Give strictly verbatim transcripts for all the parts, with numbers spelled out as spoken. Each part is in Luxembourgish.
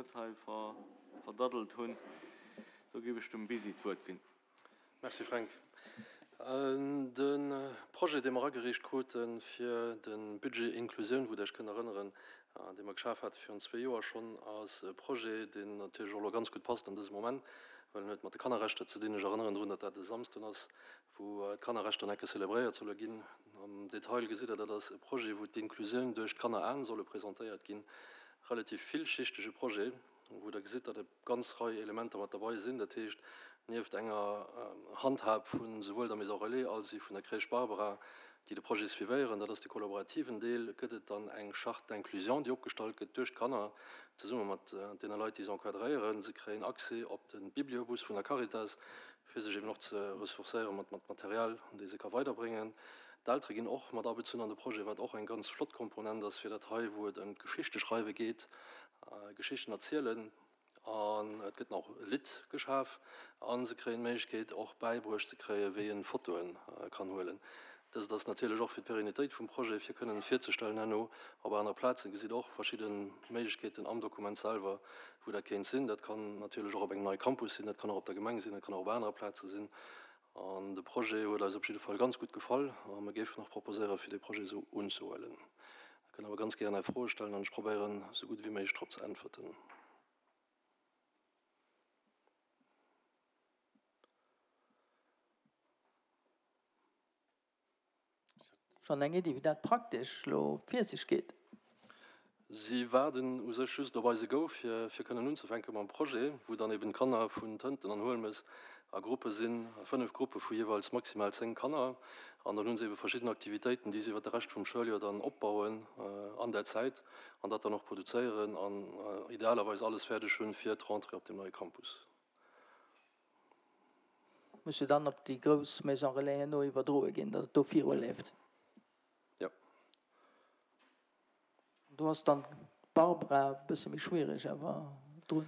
net hei verdaddelt hunn. Do géif ech dem Bisi d'Wuert ginn. Merci Fränk. De Projet, dee mer agereecht krute fir de Budget Inclusioun, wou Der Iech kënnt erënneren, dee mer geschaf hate virun zwee Joer schonn, ass e Projet, deen natierlech och elo ganz gutt passt an dësem Moment, well en huet mat de Kannerrechter ze dinn. Ech erënneren drun, datt dat e Samsden ass, wou d'Kannerrechter nach eng Kéier zelebréiert solle ginn. Am Detail gesitt Der, dat ass e Projet, wou d'Inclusioun duerch d'Kanneraen solle presentéiert ginn. Relativ villschichtege Projet, wou Der gesitt, datt e ganz Rei Elementer mat derbei sinn. Dat heescht, nieft enger Handhab vu souwuel der Maison Relais als wéi vun der Crèche Barbara, déi de Projet suivéieren, dat ass de kollaborativen Deel, gëtt et dann eng Charte d'inclusion, déi opgestallt gëtt duerch d'Kanner zesumme mat deene Leit, déi se encadréieren. Se kréien Accès op de Bibliobus vun der Caritas, fir sech eben och ze ressourcéiere mat Material, dee se ka weiderbréngen. D'Eltere ginn och mat abezunn an de Projet, wat och eng ganz flott Komponent ass fir dat hei, wou et ëm d'Geschichteschreiwe geet, Geschichten erzielen. An et gëtt nach e Lidd geschaf a se kréien d'Méiglechkeet och bäibruecht ze kréien, wéi een Fotoe kann huelen. Dëst ass natierlech och fir d'Perennitéit vum Projet, fir kënnen virzestellen herno op anere Plazen. Gesitt och verschidde Méiglechkeeten am Dokument selwer, wou dat kéint sinn. Dat kann natierlech och op engem neie Campus sinn, dat kann och op der Gemeng sinn, dat kann och op anere Plaze sinn. An de Projet huet eis op jidde Fall ganz gutt gefall a mir géifen och proposéieren, fir dee Projet esou unzehuelen. Der kënnt awer ganz gären Är Froe stellen an ech probéieren, esou gutt wéi méiglech drop ze äntwerten. Schonn eng Iddi, wéi dat praktesch elo vir sech geet? Si waarden u sech just op eise Go, fir fir kënnen unzefänke mam Projet, wou dann eben d'Kanner vun Tënten an Huelmes a Gruppe sinn, a fënnef Gruppe vu jeeweils maximal zéng Kanner. An dann hu se ebe verschidden Aktivitéiten, déi se iwwert de Rescht vum Schouljoer dann opbauen an där Zäit an dat dann och produzéieren an idealerweis alles fäerdeg hunn fir d'Rentrée op deem neie Campus. Muss jo dann op déi grouss Maison Relais herno iwwerdroe ginn, datt et do viruleeft. Jo. Do ass dann d'Barbara e bësse méi schwiereg awer drun.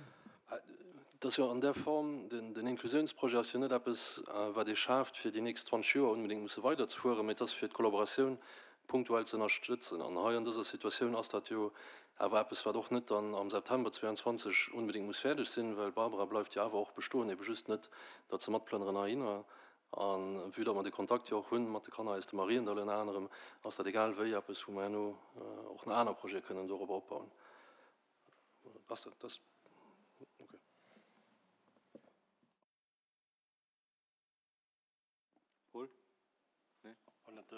Et ass jo an där Form, den Inklusiounsprojet ass jo net eppes, wat ee schaaft, fir déi nächst zwanzeg Joer onbedéngt musse weiderzefueren, mä et ass fir d'Kollaboratioun punktuell ze ënnerstëtzen. An hei an dëser Situatioun ass dat jo awer eppes, wat och net dann am September zweeanzwanzeg onbedéngt muss fäerdeg sinn, well d'Barbara bleift jo awer och bestoen, ebe just net, datt se matplënneren heihinner. A vue datt mer de Kontakt jo och hunn mat de Kanner aus dem Mariendall ënner anerem, ass dat egal wéi eppes, wou mer herno och nach aner Projete kënnen dorobber opbauen. Ass dat, dat, okay. Paul? Nee? An et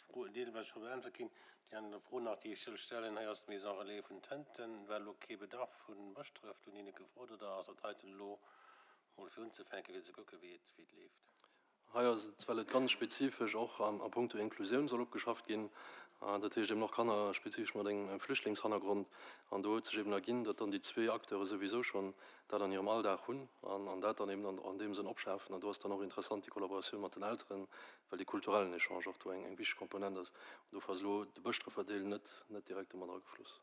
Fro deelweis scho beäntwert ginn. Déi aner Fro nach, déi ech soll stellen, hei ass d'Maison relais vun Tënten. War elo kee Bedarf vu Bëschdref do hinne gefrot oder ass dat heiten elo mol fir unzefänken, fir ze kucken, wéi et wéi et leeft? Hei ass et, well et ganz spezifesch och a puncto Inklusioun soll opgeschafft ginn, dat heescht eben och Kanner spezifesch mat engem Flüchtlingshannergrond. An do huet sech eben erginn, datt dann déi zwee Acteure souwisou schonn dat an hirem Alldag hunn an dat dann eben an deem Sënn opschafen. An do ass dann och interessant déi Kollaboratioun mat den Elteren, well dee kulturellen Echange och do eng wichteg Komponent ass. An dofir ass elo de Bëschdrëffer Deel net net direkt domat agefloss.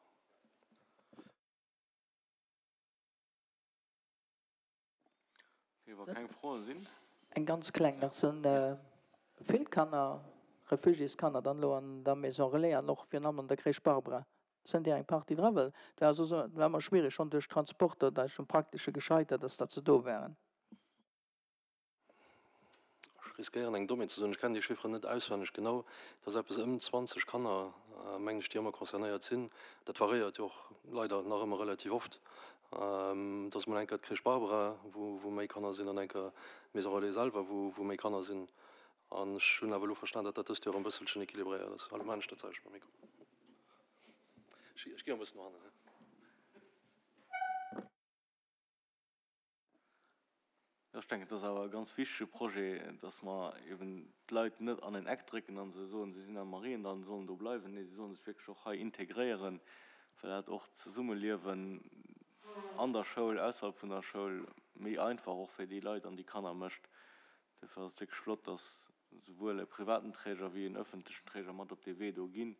Okay, wa keng Froen sinn. Eng ganz kleng nach, Sinn vill Kanner, Refugiéskanner dann elo an der Maison Relais an och virun allem an der Crèche Barbara? Sinn där eng Partie dra? Well et war soss et war ëmmer schwiereg, schonn duerch d'Transporter, da ass um Praktesche gescheitert, dass datt se do waren. Ech riskéieren eng Dommheet ze soen, ech kennen déi Chifferen net auswenneg genau, et ass eppes ëm zwanzeg Kanner, mengen ech, déi ëmmer concernéiert sinn. Dat variéiert jo och leider nach ëmmer relativ oft. Et ass mol eng Kéier d'Crèche Barbara, wou wou méi Kanner sinn, an eng Kéier d'Maison Relais selwer, wou wou méi Kanner sinn. An ech hunn awer elo verstan, datt dat dëst Joer e bësselchen équilibréiert ass. Elo maachen ech dat selwecht mam Mikro. Ech gi e bëssen no hannen. Jo, ech denken, et ass awer e ganz wichtege Projet, dass mer eben d'Leit net an en Eck drécken a se soen, si sinn am Mariendall an sollen do bleiwen. Nee, si sollen sech wierklech och hei integréieren, well dat och d'Zesummeliewen an der Schoul, ausserhalb vun der Schoul méi einfach och fir déi Leit an déi Kanner mécht. Duerfir ass et wierklech flott, dass souwuel e privaten Träger wéi en öffentlechen Träger mat op dee Wee do ginn,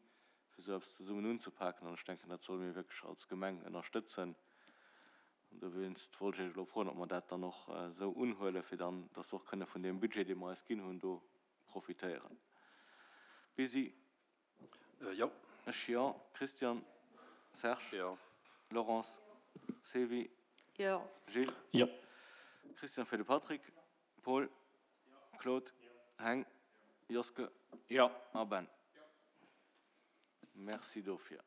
fir esou eppes zesummen unzepaken. An ech denken, dat solle mir wierklech als Gemeng ënnerstëtzen. An dowéinst wollt ech Iech elo froen, ob mer dat dann och esou unhuelen, fir dann, dass se och kënne vun deem Budget, dee mer eis ginn hunn, do profitéieren. Bisi? Jo. Ech jo. Christian? Serge? Jo. Laurence? Sylvie? Jo. Gilles? Jo. Christian fir de Patrick, Paul? Claude? Heng? Joske? Jo. A Ben? Merci dofir.